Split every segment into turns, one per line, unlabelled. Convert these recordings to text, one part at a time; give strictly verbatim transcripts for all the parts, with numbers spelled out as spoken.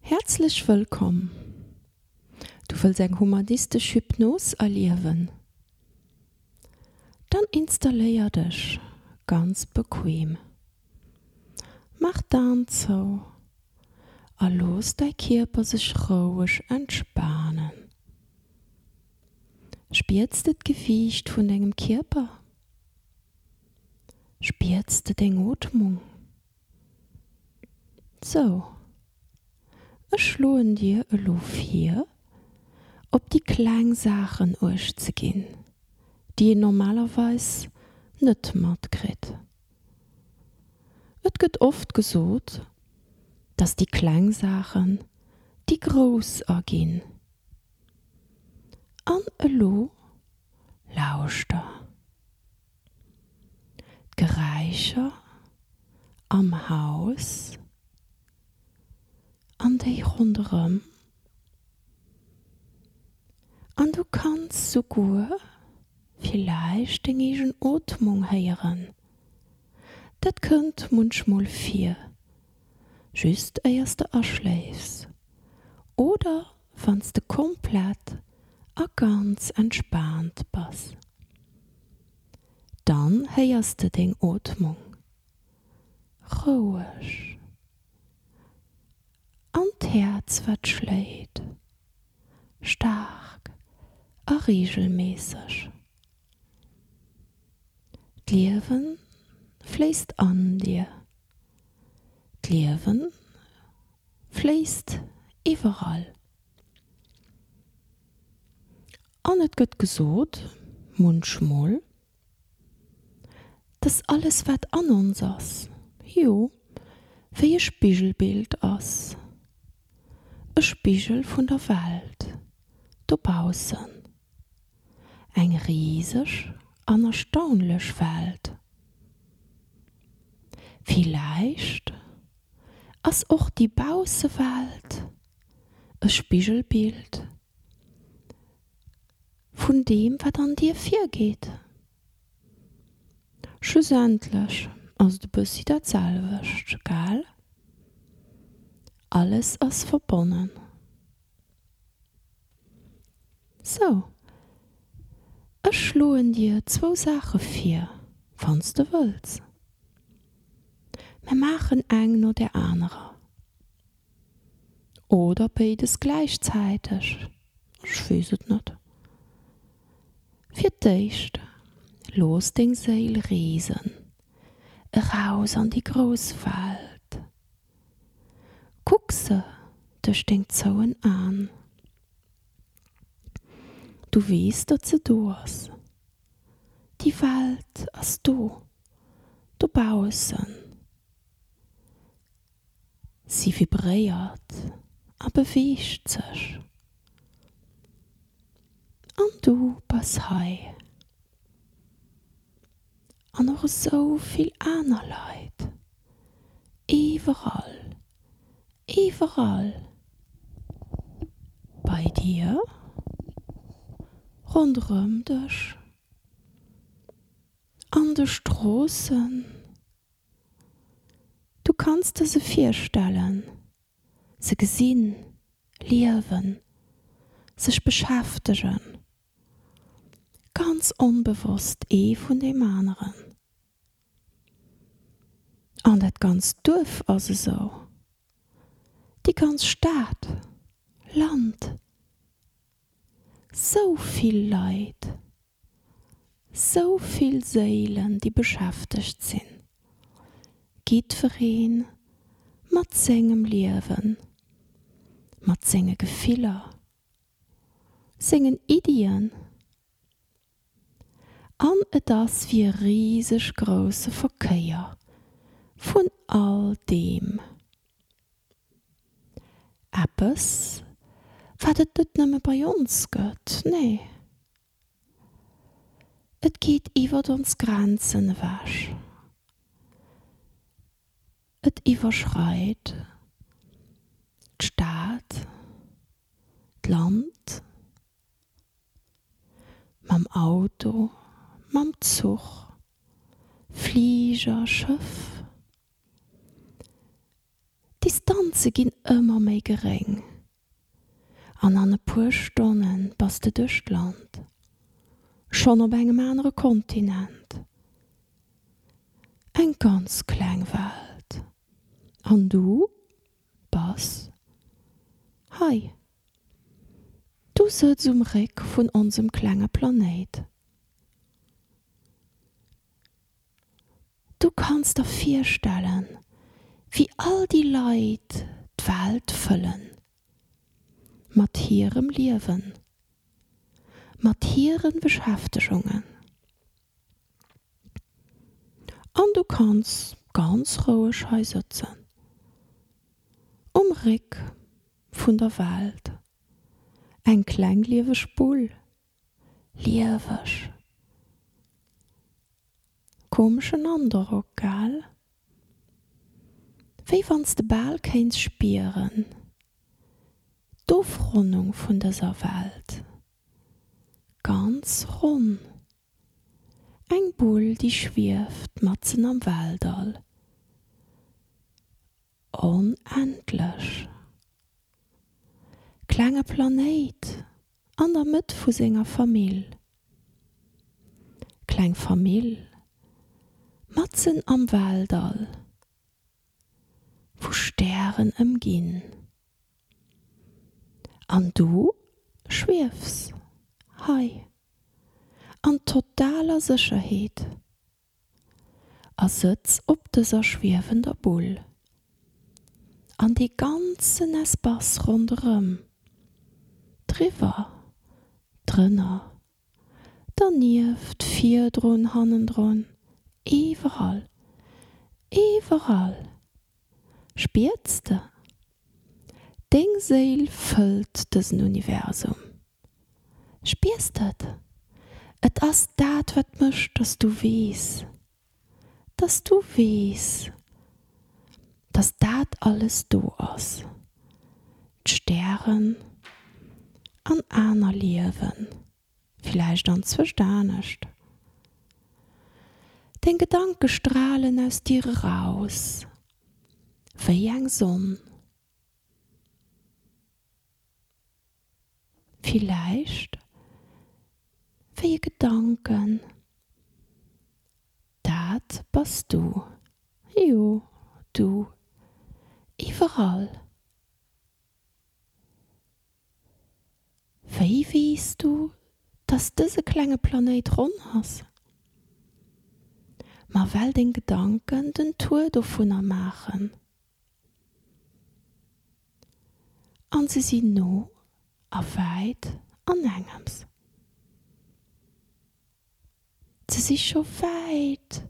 Häerzlech wëllkomm! Du wëlls eng humanistesch Hypnos erliewen? Dann installéier dech ganz bequem. Maach d'Aen zou a looss däi Kierper sech roueg entspanen. Spiers de d'Gewiicht vun dengem Kierper? Spiers de deng Ootmung? Sou, ech schloen dir elo vir, op déi kleng Saachen uecht ze ginn, déi een normalerweis net matkritt. Et gëtt oft gesot, dass déi kleng Saachen déi grouss erginn. An elo lauschter. D'Geräischer am Haus an déi ronderëm. An du kanns souguer villäicht deng eegen Ootmung héieren. Dat kënnt munchmol vir, just éiers de aschléifs oder wann s de komplett a ganz entspaant bass. Dann héiers de deng Ootmung roueg an d'Häerz wat schléit, staark a reegelméisseg. D'Liewe fléisst an dir, d'Liewe fléisst iwwerall. An et gëtt gesot, munchmol, dass alles wat an ons ass, jo, wéi e Spigelbild ass, e Spigel vun der Welt dobaussen, eng riseg an erstaunlech Welt. Villäicht ass och déi Baussewelt e Spigelbild vun deem, wat an dir virgeet. Schlussendlech ass et e bëssi dat selwecht, gell? Alles ass verbonnen. Sou, ech schloen dir zwou Saache vir, wann s de wëlls. Mer maachen eng no där anerer. Oder béides gläichzäiteg, ech weess et net. Fir d'éischt, looss deng Séil reesen, eraus an déi grouss Welt. Kuck se duerch deng zouen Aen. Du weess, datt se do ass. Déi Welt ass do, dobaussen. Si vibréiert a beweegt sech. An du bass hei. An och esou vill aner Leit. Iwwerall. Iwwerall. Bei dir. Ronderëm dech. An de Stroossen. Du kanns der se virstellen, se gesinn, liewen, sech beschäftegen, ganz onbewosst ee vun deem aneren. An dat ganzt Duerf ass esou, déi ganz Stad, Land, sou vill Leit. Sou vill Séilen, déi beschäftegt sinn, jiddweree mat sengem Liewen, mat senge Gefiller, sengen Iddien. An et ass wéi e riseg grousse Verkéier vun all deem. Eppes, wat et net nëmme bei ons gëtt, nee. Et geet iwwert ons Grenzen ewech. Et iwwerschreit d'Stad, d'Land, mam Auto, mam Zuch, Fliger, Schëff. Distanze ginn ëmmer méi geréng an an e puer Stonne bass de duerch d'Land, schonn op engem anere Kontinent. Eng ganz kleng Welt an du bass hei. Du sëtz um Réck vun onsem klenge Planéit. Du kanns der virstellen, wéi all déi Leit d'Welt fëllen. Mat hirem Liewen. Mat hiren Beschäftegungen. An du kanns ganz roueg hei sëtzen. Um Réck vun der Welt. Eng kleng lieweg Bull. Lieweg. Komeschen Androck, gell? Wéi wann s de bal kéints spieren, d'Ofronnung vun dëser Welt. Ganz ronn. Eng Bull, déi schwieft matzen am Weltall. Onendlech. Klenge Planéit an der Mëtt vu senger Famill. Kleng Famill matzen am Weltall, vu Stären ëmginn. An du schwiefs hei an totaler Sécherheet a sëtz op dëser schwiewender Bull. An dee ganzen Espace ronderëm, driwwer, drënner, dernieft, virdrun, hannendrun, iwwerall, iwwerall spiers de, deng Séil fëllt dësen Universum. Spiers de et? Et ass dat, wat mécht, dass du weess, dass du weess, dass dat alles do ass, d'Stären an aner Liewen, villäicht anzwëscht anescht. Deng Gedanke stralen aus dir eraus wéi eng Sonn. Villäicht wéi e Gedanken. Dat bass du, jo, du, iwwerall. Wéi weess du, dass dëse klenge Planéit ronn ass? Ma well deng Gedanken den Tour dovunner maachen. An se sinn no a wäit an engems. Se si scho wäit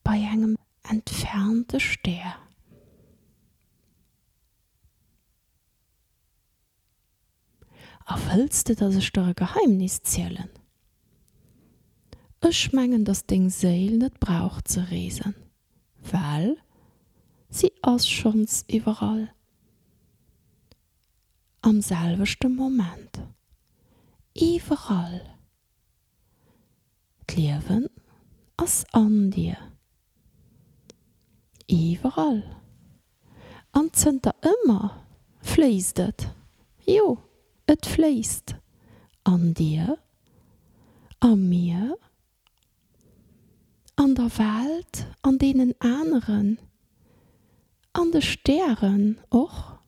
bei engem entfernte Stär. A wëlls de, dass ech der e Geheimnis zielen? Ech mengen, dass deng Séil net brauch ze reesen, well si ass schonns iwwerall. Am selwechte Moment. Iwwerall. D'Liewen ass an dir. Iwwerall. An zënter ëmmer fléisst et. Jo, et fléisst. An dir, a mir, an der Welt, an deenen aneren, an de Stären och,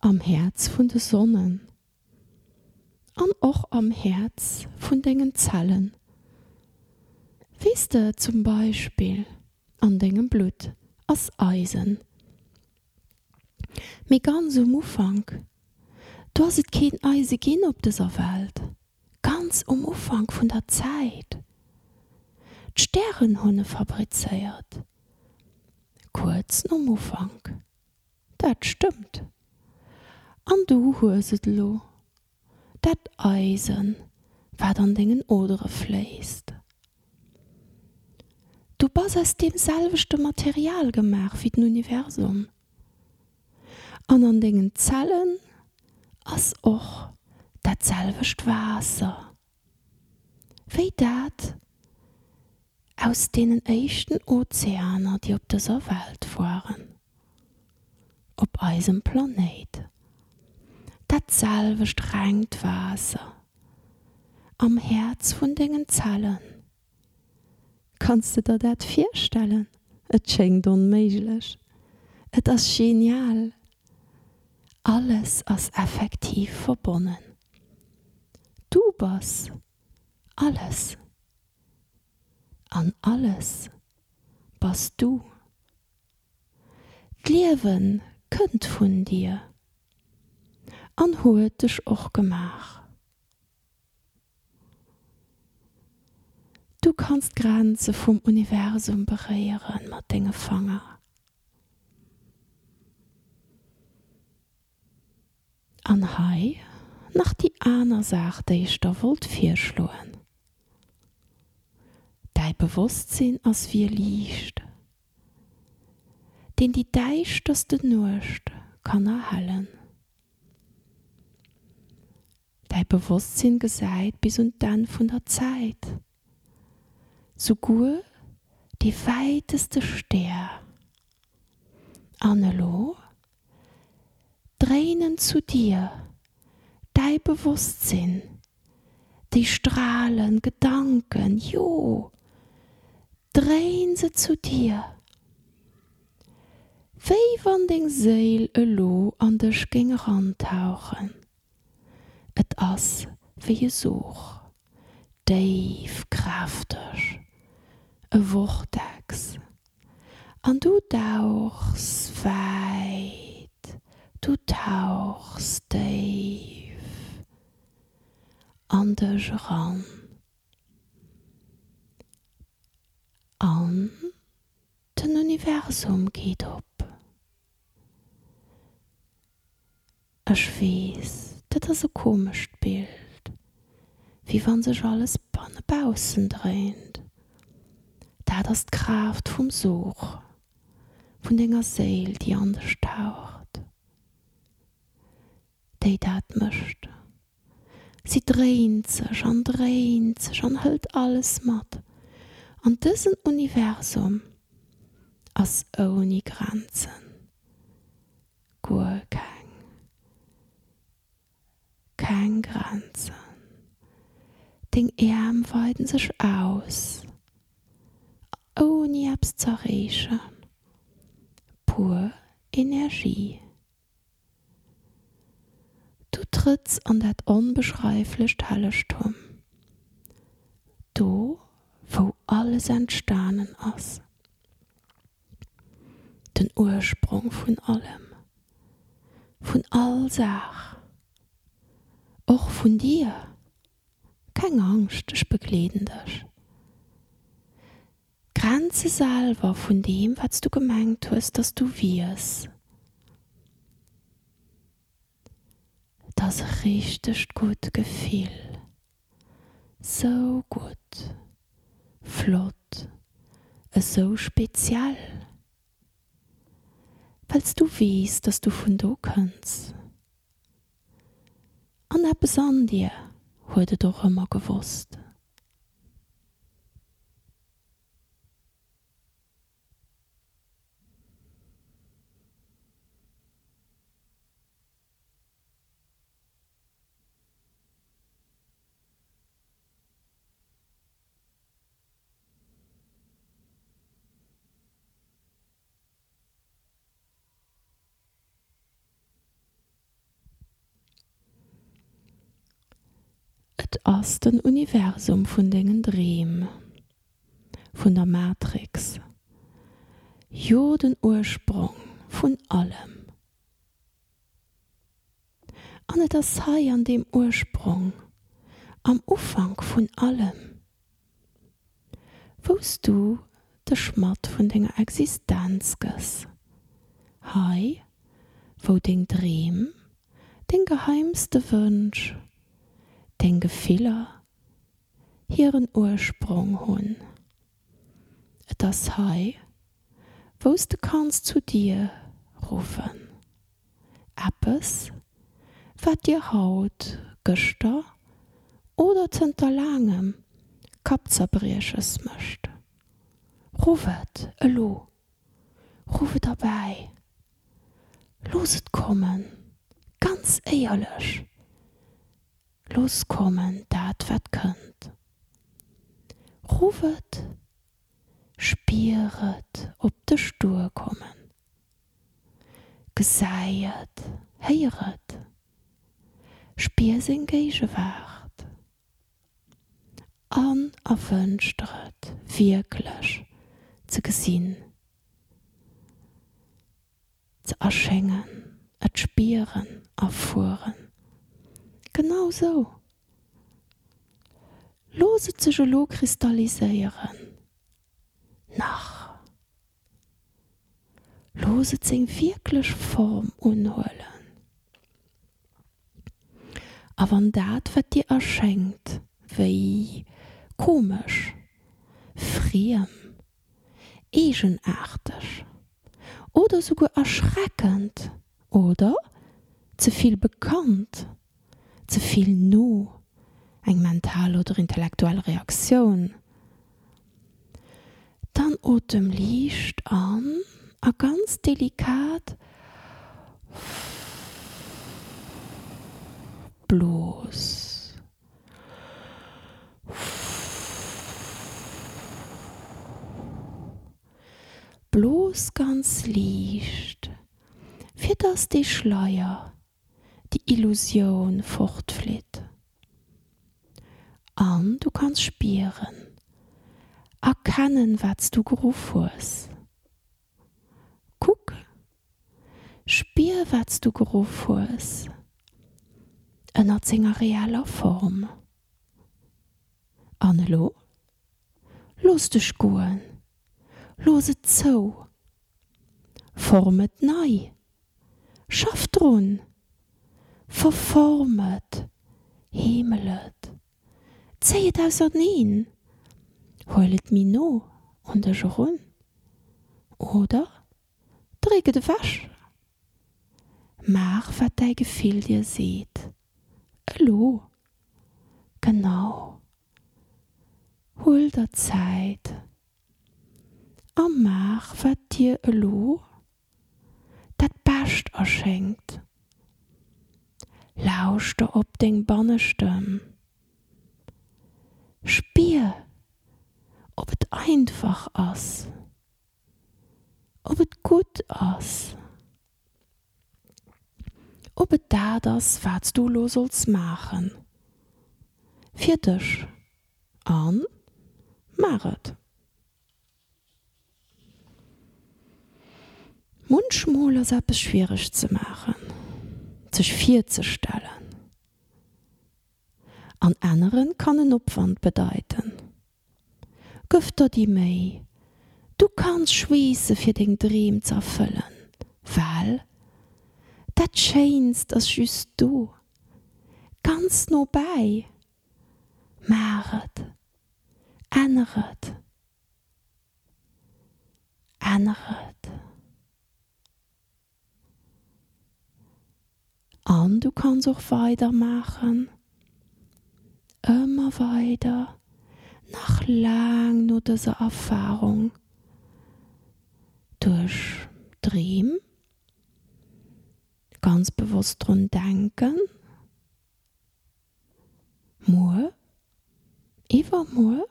am Häerz vun de Sonnen an och am Häerz vun dengen Zellen. Weess de zum Beispill, an dengem Blutt ass Eisen. Mee ganz um Ufank, do ass et keen Eise ginn op dëser Welt. Ganz um Ufank vun der Zäit. D'Stären hunn e fabrizéiert. Kuerz nom Ufank. Dat stëmmt. An du hues et elo, dat Eisen, wat an dengen Odere fléisst. Du bass aus deem selwechte Material gemaach wéi den Universum. An an dengen Zellen ass och dat selwecht Waasser wéi dat Aus deenen éischten Ozeaner, déi op dëser Welt waren. Op eisem Planéit. Dat selwecht rengt Waasser. Am Häerz vun dengen Zellen. Kanns de der dat virstellen? Et schéngt onméiglech. Et ass genial. Alles ass effektiv verbonnen. Du bass alles. An alles bass du. D'Liewe kënnt vun dir an huet dech och gemaach. Du kanns d'Grenze vum Universum beréiere mat denge Fanger. An hei nach déi aner Saach, déi ech der wollt virschloen. Däi Bewosstsinn ass wéi e Liicht, deen déi däischterste Nuecht kann erhellen. Däi Bewosstsinn gesäit bis un d'Enn vun der Zäit, souguer dee wäiteste Stär. An elo dréinen zu dir, däi Bewosstsinn, déi Strahlen, Gedanken, jo, dréin se zu dir, wéi wann deng Séil elo an dech géing erantauchen. Et ass wéi e Sog, déif, kräfteg, e Vortex, an du dauchs wäit, du tauchs déif an dech eran. An den Universum geet op. Ech weess, dat ass e komescht Bild, wéi wann sech alles bannebaussen dréint. Dat ass d'Kraaft vum Sog, vun denger Séil, déi an dech taucht, déi dat mécht. Si dréint sech an dréint sech an hëlt alles mat. An dësen Universum ass ouni Grenzen. Guer keng. Keng Grenzen. Deng Äerm weiden sech aus, ouni eppes z'erreechen. Pur Energie. Du trëtts an dat onbeschreiflecht Hellegtum, do wou alles entstanen ass, den Ursprong vun allem, vun all Saach, och vun dir. Keng Angscht, ech begleeden dech. D'Grenze selwer vun deem, wat s du gemengt hues, dass du wiers. Et ass e richtegt gutt Gefill. Sou gutt, flott, esou speziell. Well s du weess, dass du vun do kënns. An eppes an dir huet et och ëmmer gewosst. Et ass den Universum vun dengen Dreem, vun der Matrix, jo den Ursprong vun allem. An et ass hei an deem Ursprong, am Ufank vun allem, wou s du dech matt vun denger Existenz gëss, hei wou deng Dreem, deng geheimste Wënsch, deng Gefiller hiren Ursprong hunn. Et ass hei, wou s de kanns zu dir ruffen. Eppes, wat dir haut, gëschter oder zënter laangem Kappzerbrieches mécht. Ruff et elo, ruff et erbäi, looss et kommen, ganz éierlech, looss kommen dat wat kënnt. Ruff et, spier et op dech duerkommen. Gesäi et, héier et, spier seng Géigewaart an erwënsch der et wierklech ze gesinn, ze erschéngen, et spieren, erfueren. Genau sou. Looss et sech elo kristalliséieren. Nach. Looss et seng wierklech Form unhuelen. A wann dat, wat dir erschéngt, wéi komesch, friem, eegenaarteg oder souguer erschreckend oder ze vill bekannt, ze vill no, eng mental oder intellektuell Reaktioun, dann otem liicht an a ganz delikat blos. Blos ganz liicht, fir dass dee Schleier, déi Illusioun fortflitt. An du kanns spieren, erkennen, wat s du geruff hues. Kuck, spier, wat s du geruff hues, ënnert senger reeller Form. An elo? Looss dech goen, looss et zou, form et nei, schaff drun, verform et, heemel et, zéi et auserneen, huel et méi no un dech erun oder dréck et ewech. Maach wat däi Gefill dir seet. Elo. Genau. Huel der Zäit a maach wat dir elo dat Bescht erschéngt. Lauschter op deng Bannestëmm. Spier, ob et einfach ass, ob et gutt ass, ob et dat ass, wat s du elo solls maachen fir dech. An maach et. Munchmol ass eppes schwiereg ze maachen, sech virzestellen. An änneren kann en Opwand bedeiten. Gëff der déi Méi, du kanns schweesse fir deng Dreem ze erfëllen, well dat Schéinst ass just do, ganz no bäi. Maach et, änner et, änner et. An du kanns och weider maachen, ëmmer weider, nach laang no dëser Erfarung, duerch Dreem, ganz bewosst drun denken, muer, iwwermuer.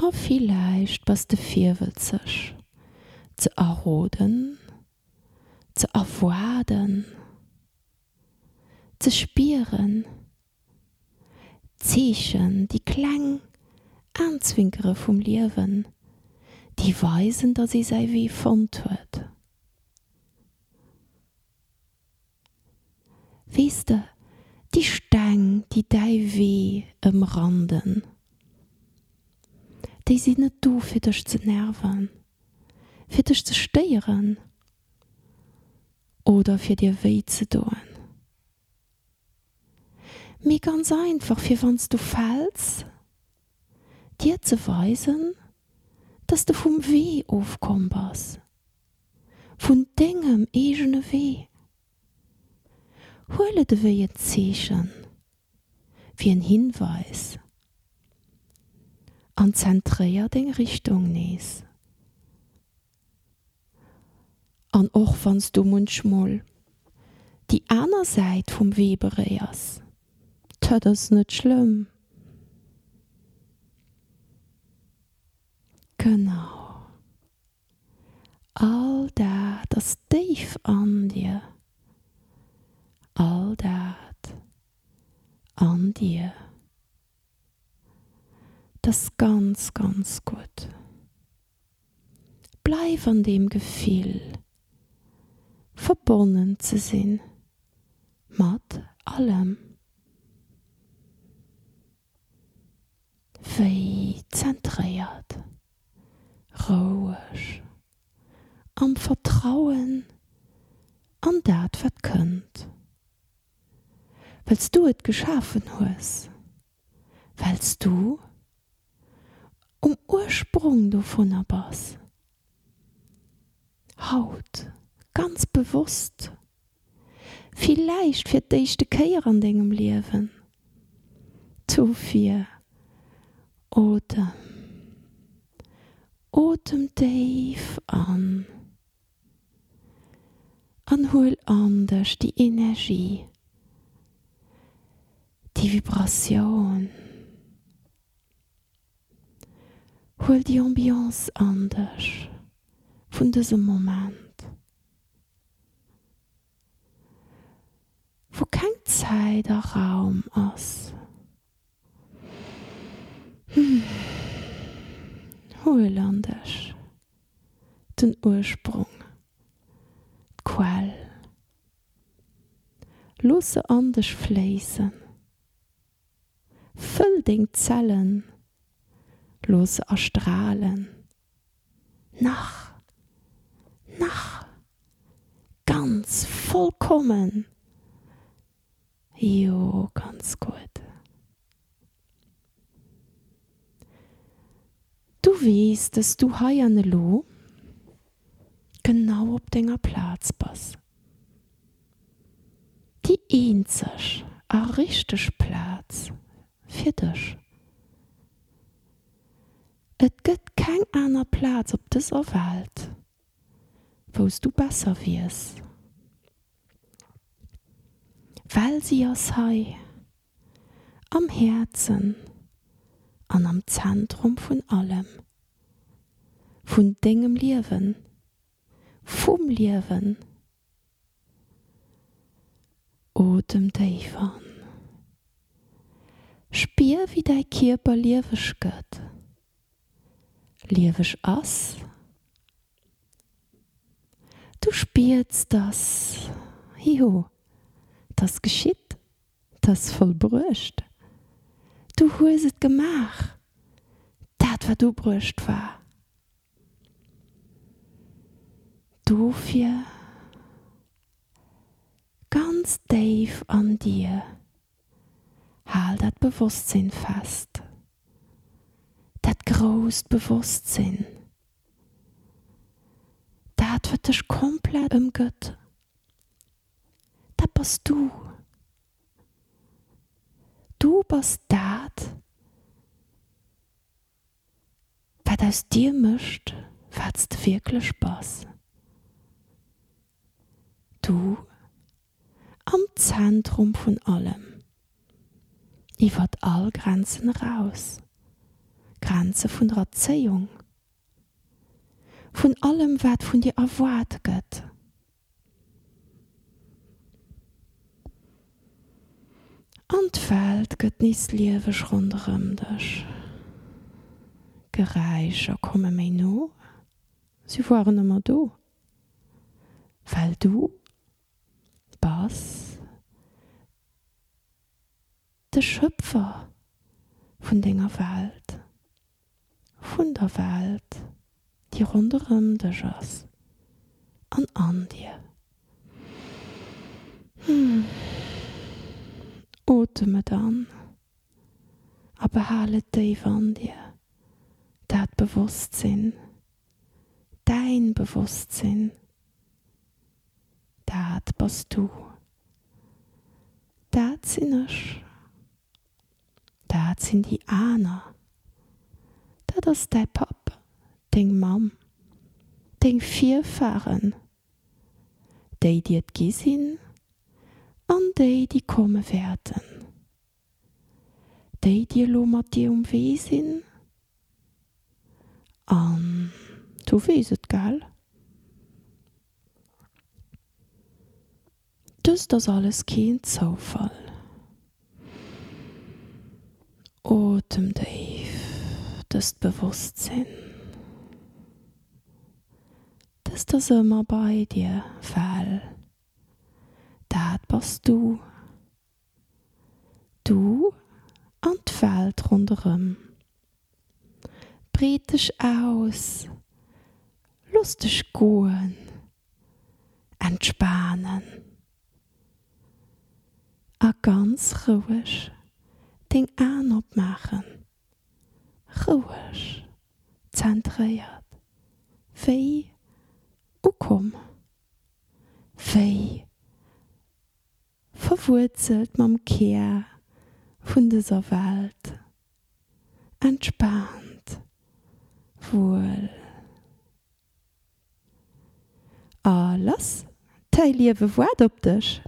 A villäicht bass de virwëtzeg ze erroden, ze erwaarden, ze spieren, d'Zeechen, déi kleng Aenzwinkere vum Liewen, déi weisen, datt ee säi Wee fonnt huet. Weess de, déi Steng, déi däi Wee ëmranden, déi sinn net do, fir dech ze nerven, fir dech ze stéieren oder fir dir wéi ze doen. Mee ganz einfach, fir wann s du fäls, dir ze weisen, dass de vum Wee ofkomm bass, vun dengem eegene Wee. Huel et ewéi en Zeechen, wéi en Hinweis an zentréier deng Richtung nees. An och wann s du munchmol déi aner Säit vum Wee beréiers, dat ass net schlëmm. Genau. All dat ass déif an dir. All dat an dir. Dat ass ganz, ganz gutt. Bleif an deem Gefill, verbonnen ze sinn mat allem. Wéi zentréiert, roueg, am Vertrauen an dat wat kënnt. Well s du et geschafen hues, well s du um Ursprong dovunner bass. Haut, ganz bewosst, villäicht fir d'éischte Kéier an dengem Liewen, dofir otem, otem déif an an huel an dech déi Energie, déi Vibratioun, huel déi Ambiance an dech vun dësem Moment, wou keng Zäit a Raum ass. Huel an dech den Ursprong, d'Quell. Looss se an dech fléissen. Fëll deng Zellen, looss se erstralen. Nach, nach, ganz vollkommen. Jo, ganz gutt. Du weess, dass du hei an elo genau op denger Plaz bass. Déi eenzeg a richteg Plaz fir dech. Et gëtt keng aner Plaz op dëser Welt, wou s du besser wiers. Well si ass hei, am Häerzen an am Zentrum vun allem, vun dengem Liewen, vum Liewen. Otem déif an. Spier wéi däi Kierper lieweg gëtt, lieweg ass. Du spiers, dass, jo, 't ass geschitt, 't ass vollbruecht. Du hues et gemaach, dat wat ubruecht war. Dofir, ganz déif an dir, hal dat Bewosstsinn fest, dat grousst Bewosstsinn, dat wat dech komplett ëmgëtt. Dat bass du. Du bass dat, wat aus dir mécht, wat s de wierklech bass. Du am Zentrum vun allem, iwwert all Grenzen eraus, Grenze vun der Erzéiung, vun allem, wat vun dir erwaart gëtt. An d'Welt gëtt nees lieweg ronderëm dech. Geräischer komme méi no, si woaren ëmmer do, well du bass de Schöpfer vun denger Welt, vun der Welt, déi ronderëm dech ass an an dir. Otem Otem et an a behal et déif an dir, dat Bewosstsinn, däin Bewosstsinn, dat bass du, dat sinn ech, dat sinn déi aner, dat ass däi Papp, deng Mamm, deng Virfahren, déi déi et gi sinn an déi déi komme wäerten, déi déi elo mat dir um Wee sinn an du weess et, gell? Dëst ass alles keen Zoufall. Otem déif dëst Bewosstsinn. Dëst ass ëmmer bei dir, well dat bass du. Du an d'Welt ronderëm. Breet dech aus, looss dech goen, entspanen a ganz roueg deng Aen opmaachen, roueg, zentréiert, wéi ukomm, wéi verwuerzelt mam Kär vun dëser Welt, entspaant, wuel. A lass, däi Liewe waart op dech!